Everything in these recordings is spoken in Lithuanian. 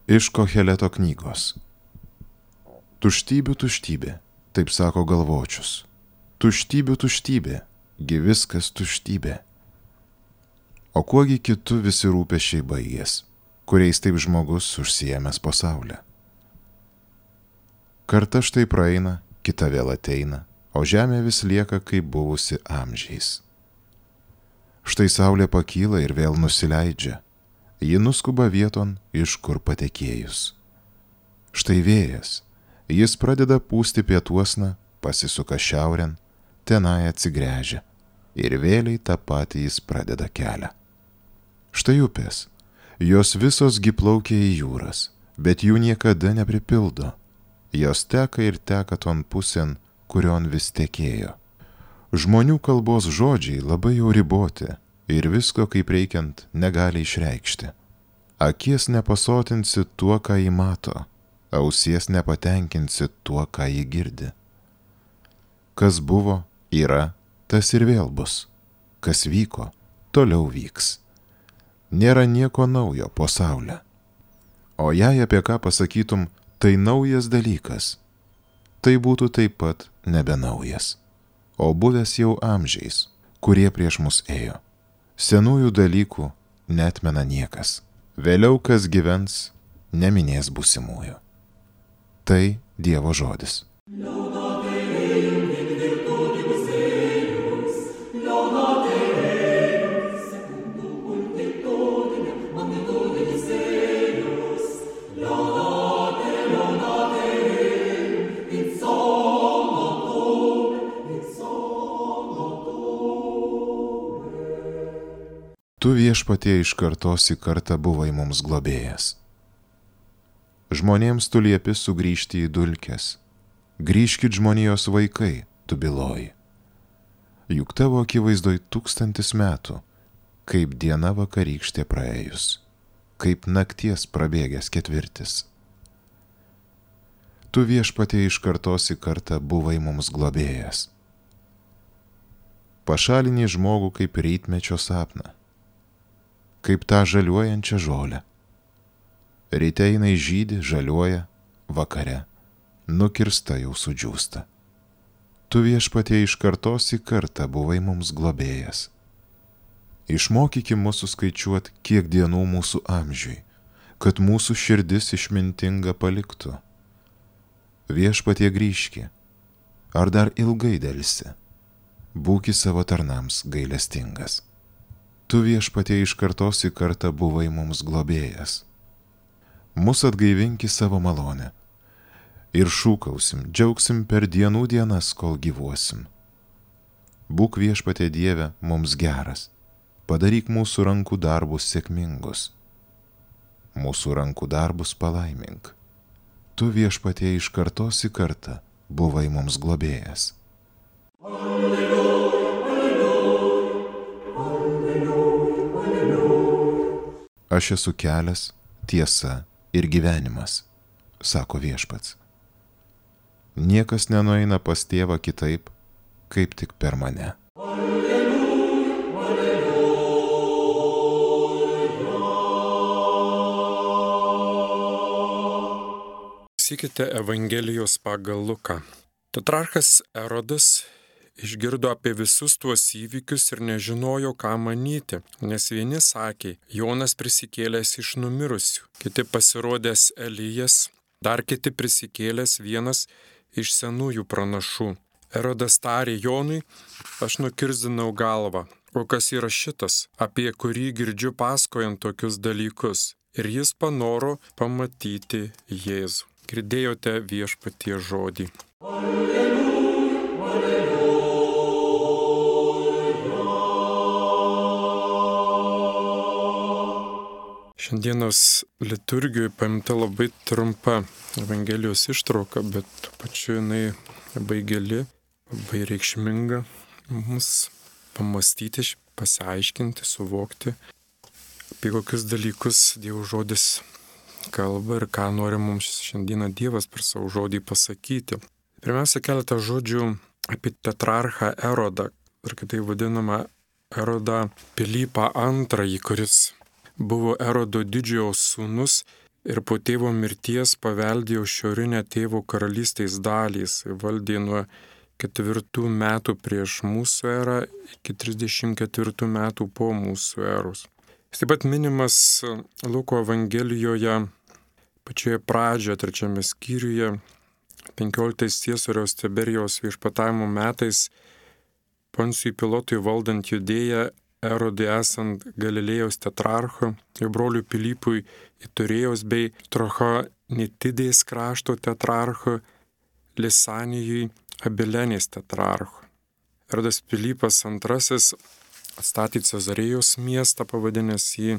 Iš Koheleto knygos. Tuštybių tuštybė, taip sako galvočius. Tuštybių tuštybė, gi viskas tuštybė. O kuogi kitu visi rūpesčiai baigės, kuriais taip žmogus užsiėmęs pasaulę. Karta štai praeina, kita vėl ateina, o žemė vis lieka kaip buvusi amžiais. Štai saulė pakyla ir vėl nusileidžia. Ji nuskuba vieton, iš kur patekėjus. Štai vėjas, jis pradeda pūsti pietuosna, pasisuka šiaurėn, tenai atsigręžia ir vėliai tą patį jis pradeda kelią. Štai upės, jos visos gi plaukia į jūras, bet jų niekada nepripildo. Jos teka ir teka ton pusėn, kurion vis tekėjo. Žmonių kalbos žodžiai labai jau riboti ir visko kaip reikiant negali išreikšti. Akies nepasotinsi tuo, ką jį mato, ausies nepatenkinsi tuo, ką jį girdi. Kas buvo, yra, tas ir vėl bus. Kas vyko, toliau vyks. Nėra nieko naujo po saulę. O jei apie ką pasakytum, tai naujas dalykas, tai būtų taip pat nebenaujas, o buvęs jau amžiais, kurie prieš mus ėjo. Senųjų dalykų neatmena niekas. Vėliau kas gyvens, neminės būsimųjų. Tai Dievo žodis. Tu viešpatie iš kartos į kartą buvai mums globėjas. Žmonėms tu liepi sugrįžti į dulkes. Grįžkit žmonijos vaikai, tu byloji. Juk tavo akivaizdoj 1000 metų, kaip diena vakarykštė praėjus, kaip nakties prabėgęs ketvirtis. Tu viešpatie iš kartos į kartą buvai mums globėjas. Pašalini žmogų kaip rytmečio sapną, kaip tą žaliuojančią žolę. Ryte jinai žydi, žaliuoja, vakare, nukirsta jau sudžiūsta. Tu viešpatie iš kartos į kartą buvai mums globėjas. Išmokyki mūsų skaičiuot, kiek dienų mūsų amžiui, kad mūsų širdis išmintinga paliktų. Viešpatie grįžki, ar dar ilgai delsi, būki savo tarnams gailestingas. Tu viešpatie iš kartos į kartą buvai mums globėjas. Mus atgaivinki savo malonę ir šūkausim, džiaugsim per dienų dienas, kol gyvuosim. Būk viešpatie Dieve mums geras, padaryk mūsų rankų darbus sėkmingus. Mūsų rankų darbus palaimink. Tu viešpatie iš kartos į kartą buvai mums globėjas. Aš esu kelias, tiesa ir gyvenimas, sako viešpats. Niekas nenueina pas tėvą kitaip, kaip tik per mane. Klausykite Evangelijos pagal Luką. Tetrarchas Erodas išgirdo apie visus tuos įvykius ir nežinojo, ką manyti, nes vieni sakė, Jonas prisikėlęs iš numirusių, kiti pasirodęs Elijas, dar kiti prisikėlęs vienas iš senųjų pranašų. Erodas tarė Jonui, aš nukirzdinau galvą, o kas yra šitas, apie kurį girdžiu pasakojant tokius dalykus, ir jis panoro pamatyti Jėzų. Girdėjote viešpaties žodį. Šiandienos liturgijoje paimta labai trumpa Evangelijos ištrauka, bet tuo pačiu jinai labai gili, labai reikšminga mums pamastyti, pasiaiškinti, suvokti, apie kokius dalykus Dievo žodis kalba ir ką nori mums šiandieną Dievas per savo žodį pasakyti. Pirmiausia, keletą žodžių apie tetrarchą Erodą, ir kitaip vadinamą Erodą Pilypą II, kuris buvo Erodo didžiojo sūnus ir po tėvo mirties paveldėjo šiaurinę tėvo karalystės dalį. Jis valdė nuo 4 metų prieš mūsų erą iki 34 metų po mūsų eros. Jis taip pat minimas Luko Evangelijoje pačioje pradžioje, 3 skyriuje, 15 Ciesoriaus Tiberijaus viešpatavimo metais, Poncijui Pilotui valdant Judėją, Erodui esant Galilėjos tetrarcho, jo broliui Pilypui Iturėjaus bei Trachonitidės krašto tetrarcho, Lisanijui Abilenės tetrarcho. Erodas Pilypas II atstatė Cezarėjos miestą, pavadinęs jį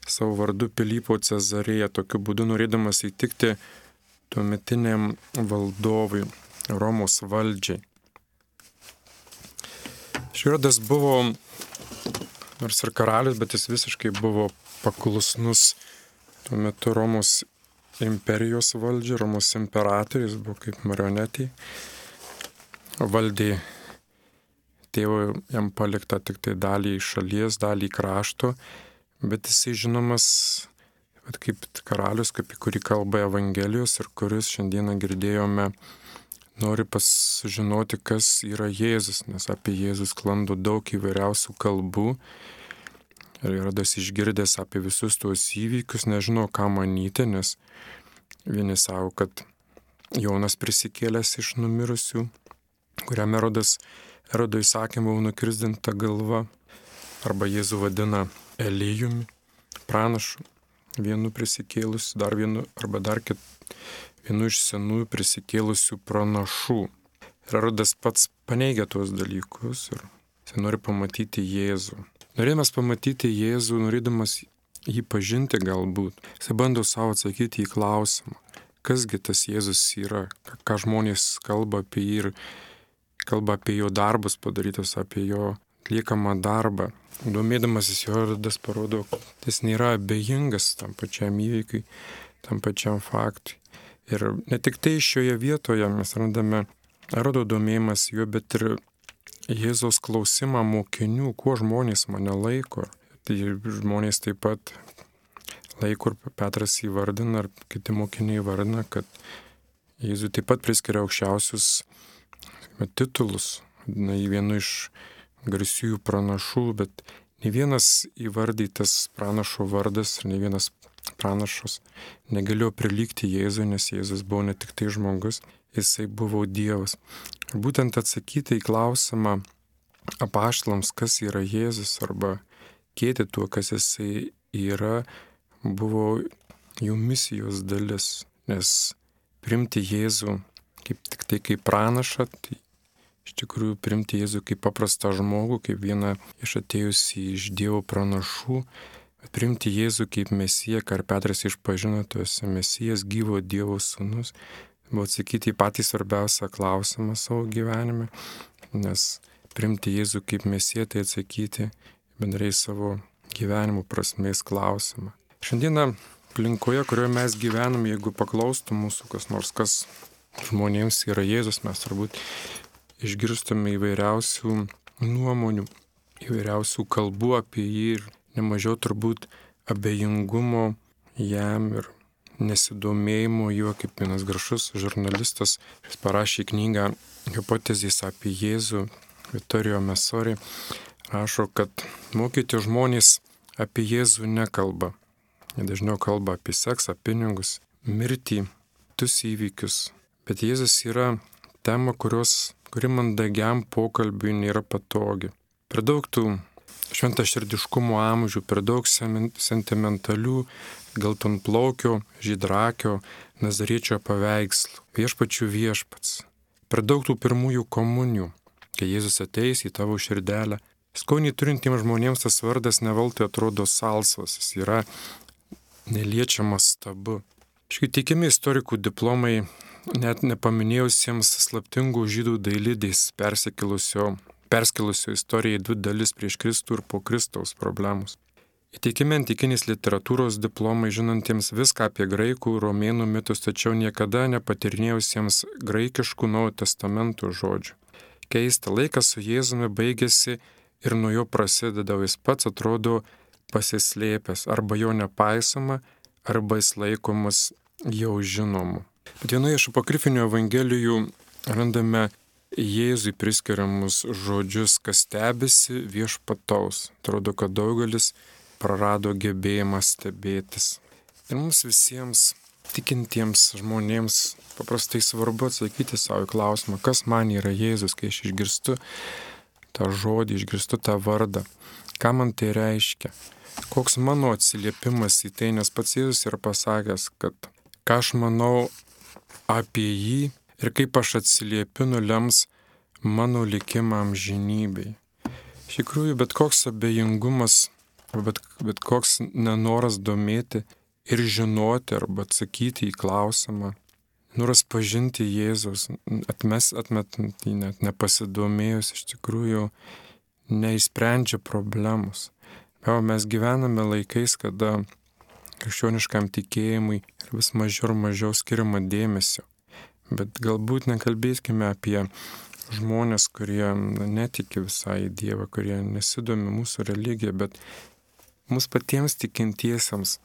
savo vardu Pilypo Cezarėja, tokiu būdu norėdamas įtikti tuometiniam valdovui, Romos valdžiai. Erodas buvo, nors ir karalius, bet jis visiškai buvo paklusnus tuo metu Romos imperijos valdžiai, Romos imperatorius, buvo kaip marionetė. Valdė tėvo jam palikta tik tai dalį šalies, dalį krašto, bet jisai žinomas kaip karalius, kaip į kurį kalba Evangelijos ir kuris šiandieną girdėjome, nori pasižinoti, kas yra Jėzus, nes apie Jėzus sklando daug įvairiausių kalbų. Ir Erodas išgirdęs apie visus tuos įvykius, nežino, ką manyti, nes vieni savo, kad Jonas prisikėlęs iš numirusių, kuriam Erodo įsakymu nukirsdinta galva, arba Jėzų vadina Elijumi, pranašu, vienu prisikėlusiu, dar vienu, arba dar vienu iš senųjų prisikėlusių pranašų. Ir Erodas pats paneigia tuos dalykus ir jis nori pamatyti Jėzų. Norėdamas pamatyti Jėzų, norėdamas jį pažinti galbūt, jis bando savo atsakyti į klausimą, kasgi tas Jėzus yra, ką žmonės kalba apie jį ir kalba apie jo darbus padarytus, apie jo atliekamą darbą. Domėdamasis jo, Erodas parodo, kad jis nėra abejingas tam pačiam įvykiui, tam pačiam faktui. Ir ne tik tai šioje vietoje mes randame Erodo domėjimas juo, bet ir Jėzaus klausimą mokinių, kuo žmonės mane laiko. Tai žmonės taip pat laiko, ir Petras įvardina, ar kiti mokiniai įvardina, kad Jėzui taip pat priskiria aukščiausius titulus, na, į vienu iš garsiųjų pranašų, bet ne vienas įvardytas pranašo vardas ir ne vienas pranašas negalėjo prilygti Jėzui, nes Jėzus buvo ne tik tai žmogus, jisai buvo Dievas. Ir būtent atsakyti į klausimą apaštalams, kas yra Jėzus, arba kėti tuo, kas jisai yra, buvo jų misijos dalis, nes priimti Jėzų tik tai kaip pranašą, tai iš tikrųjų priimti Jėzų kaip paprastą žmogų, kaip vieną iš atėjusį iš Dievo pranašų, bet priimti Jėzų kaip Mesiją, ką Petras išpažino, tu esi Mesijas, gyvo Dievo sūnus, buvo atsakyti į patį svarbiausią klausimą savo gyvenime, nes priimti Jėzų kaip Mesiją, tai atsakyti bendrai savo gyvenimo prasmės klausimą. Šiandieną aplinkoje, kurioje mes gyvename, jeigu paklaustų mūsų kas nors, kas žmonėms yra Jėzus, mes turbūt išgirstume įvairiausių nuomonių, įvairiausių kalbų apie jį ir nemažiau turbūt abejingumo jam ir nesidomėjimo juo, kaip vienas garsus žurnalistas, jis parašė knygą Hipotezės apie Jėzų, Vittorio Messori, rašo, kad mokyti žmonės apie Jėzų nekalba. Jie dažniau kalba apie seksą, pinigus, mirtį, tus įvykius. Bet Jėzus yra tema, kuri mandagiam pokalbiui nėra patogi. Per daug tų šventaširdiškumo amžių, per daug sentimentalių, geltonplaukio, žydrakio, nazariečio paveikslų, viešpačių viešpats. Per daug tų pirmųjų komunijų, kai Jėzus ateis į tavo širdelę. Skonį turintiems žmonėms tas vardas neveltui atrodo salsvas, jis yra neliečiamas stabu. Tikimi istorikų diplomai net nepaminėjusiems slaptingų žydų dailidės perskelusio istoriją į 2 dalis prieš Kristų ir po Kristaus problemus. Įteikimi antikinės literatūros diplomai žinantiems viską apie graikų, romėnų mitus, tačiau niekada nepatyrinėjusiems graikiškų Naujojo testamento žodžių. Keista, laikas su Jėzumi baigėsi ir nuo jo prasideda, jis pats atrodo pasislėpęs, arba jo nepaisoma, arba jis laikomas jau žinomu. Bet vienoje iš apokrifinių evangelijų randame Jėzui priskiriamus žodžius, kas stebisi viešpataus. Atrodo, kad daugelis prarado gebėjimą stebėtis. Ir mums visiems tikintiems žmonėms paprastai svarbu atsakyti savo į klausimą, kas man yra Jėzus, kai aš išgirstu tą žodį, išgirstu tą vardą. Ką man tai reiškia? Koks mano atsiliepimas į tai, nes pats Jėzus yra pasakęs, kad ką aš manau apie jį ir kaip aš atsiliepiu nulems mano likimą amžinybei. Iš tikrųjų, bet koks abejingumas, bet koks nenoras domėti ir žinoti arba atsakyti į klausimą, noras pažinti Jėzus, atmetant jį net nepasidomėjus, iš tikrųjų neišsprendžia problemos. O mes gyvename laikais, kada krikščioniškam tikėjimui vis mažiau ir mažiau skiriama dėmesio. Bet galbūt nekalbėkime apie žmonės, kurie netiki visai į Dievą, kurie nesidomi mūsų religija, bet mums patiems tikintiesiems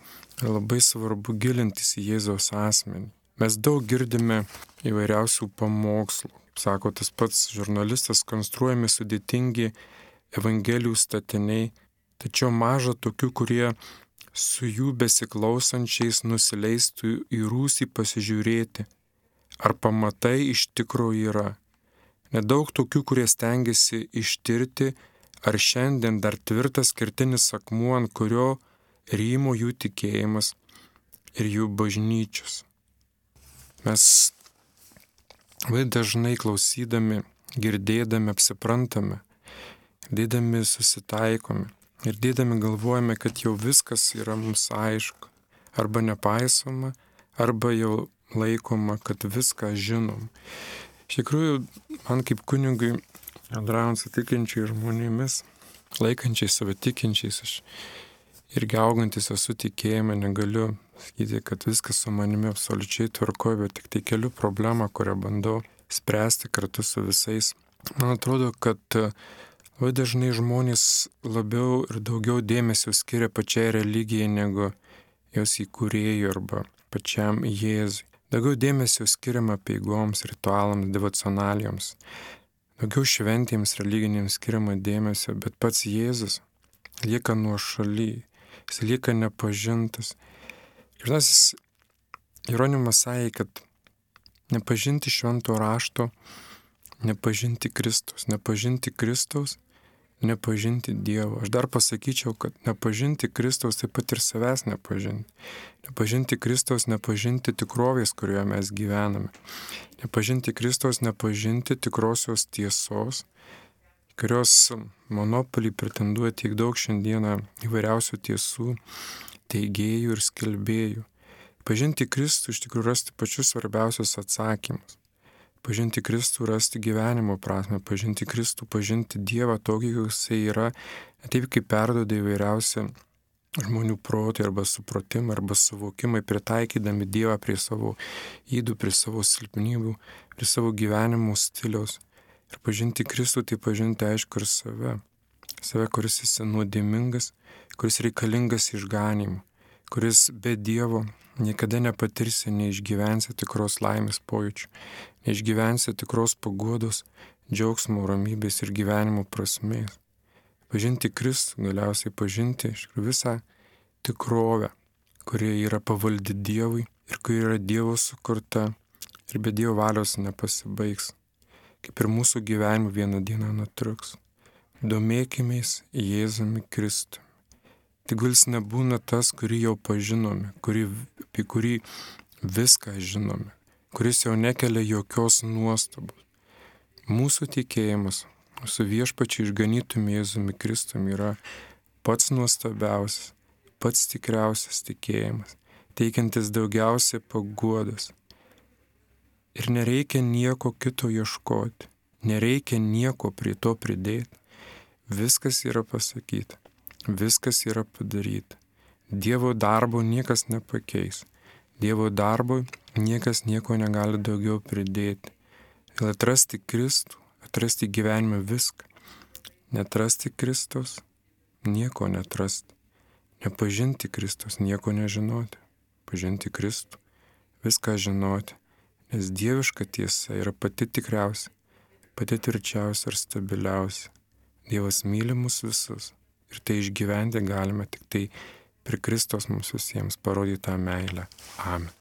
labai svarbu gilintis į Jėzaus asmenį. Mes daug girdime įvairiausių pamokslų. Sako tas pats žurnalistas, konstruojami sudėtingi evangelijų statiniai, tačiau maža tokių, kurie su jų besiklausančiais nusileistų į rūsį pasižiūrėti, ar pamatai iš tikrųjų yra. Nedaug tokių, kurie stengiasi ištirti, ar šiandien dar tvirtas kertinis akmuo, ant kurio rymo jų tikėjimas ir jų bažnyčios. Mes labai dažnai klausydami, girdėdami, apsiprantame, girdėdami susitaikome, girdėdami galvojame, kad jau viskas yra mums aišku, arba nepaisoma, arba jau laikoma, kad viską žinom. Iš tikrųjų, man kaip kunigui, bendraujant su tikinčiais žmonėmis, laikančiais save tikinčiais, aš irgi augantis esu tikėjime, negaliu sakyti, kad viskas su manimi absoliučiai tvarkoja, bet tik tai keliu problemą, kurią bandau spręsti kartu su visais. Man atrodo, kad labai dažnai žmonės labiau ir daugiau dėmesio skiria pačiai religijai negu jos įkūrėjui arba pačiam Jėzui. Daugiau dėmesio skiriama apeigoms, ritualams, devocionalijoms. Daugiau šventėms religinėms skiriama dėmesio, bet pats Jėzus lieka nuošaly, jis lieka nepažintas. Šventasis Jeronimas sakė, kad nepažinti švento rašto, nepažinti Kristaus, nepažinti Dievo. Aš dar pasakyčiau, kad nepažinti Kristaus taip pat ir savęs nepažinti. Nepažinti Kristaus, nepažinti tikrovės, kurioje mes gyvename. Nepažinti Kristaus, nepažinti tikrosios tiesos, kurios monopolį pretenduoja tiek daug šiandieną įvairiausių tiesų, teigėjų ir skelbėjų. Pažinti Kristų iš tikrųjų rasti pačius svarbiausius atsakymus. Pažinti Kristų, rasti gyvenimo prasme, pažinti Kristų, pažinti Dievą tokį, koks jisai yra, taip kaip perduoda įvairiausi žmonių protai arba supratimai arba suvokimai, pritaikydami Dievą prie savo ydų, prie savo silpnybių, prie savo gyvenimo stiliaus. Ir pažinti Kristų, tai pažinti aišku ir save. Save, kuris esi nuodėmingas, kuris reikalingas išganymui, kuris be Dievo niekada nepatirsi, neišgyvensi tikros laimės pojūčių, neišgyvensi tikros paguodos, džiaugsmo, ramybės ir gyvenimo prasmės. Pažinti Kristų, galiausiai pažinti visą tikrovę, kuri yra pavaldi Dievui ir kuri yra Dievo sukurta ir be Dievo valios nepasibaigs, kaip ir mūsų gyvenimo vieną dieną nutruks. Domėkimės Jėzumi Kristumi. Tegul jis nebūna tas, kurį jau pažinome, apie kurį viską žinome, kuris jau nekelia jokios nuostabos. Mūsų tikėjimas, mūsų viešpačiu išganytumi Jėzumi Kristumi yra pats nuostabiausias, pats tikriausias tikėjimas, teikiantis daugiausiai paguodos. Ir nereikia nieko kito ieškoti, nereikia nieko prie to pridėti. Viskas yra pasakyta. Viskas yra padaryta. Dievo darbo niekas nepakeis. Dievo darbo niekas nieko negali daugiau pridėti. Ir atrasti Kristų, atrasti gyvenime viską. Netrasti Kristaus, nieko netrasti. Nepažinti Kristaus, nieko nežinoti. pažinti Kristų, viską žinoti, nes dieviška tiesa yra pati tikriausia, pati tvirčiausia ir stabiliausia. Dievas myli mus visus ir tai išgyventi galime tik tai per Kristos mums visiems parodytą meilę. Amen.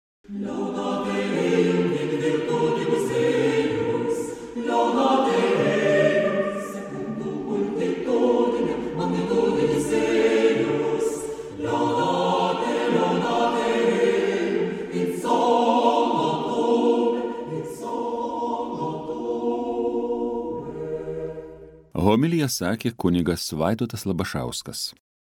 Homiliją sakė kunigas Vaidotas Labašauskas.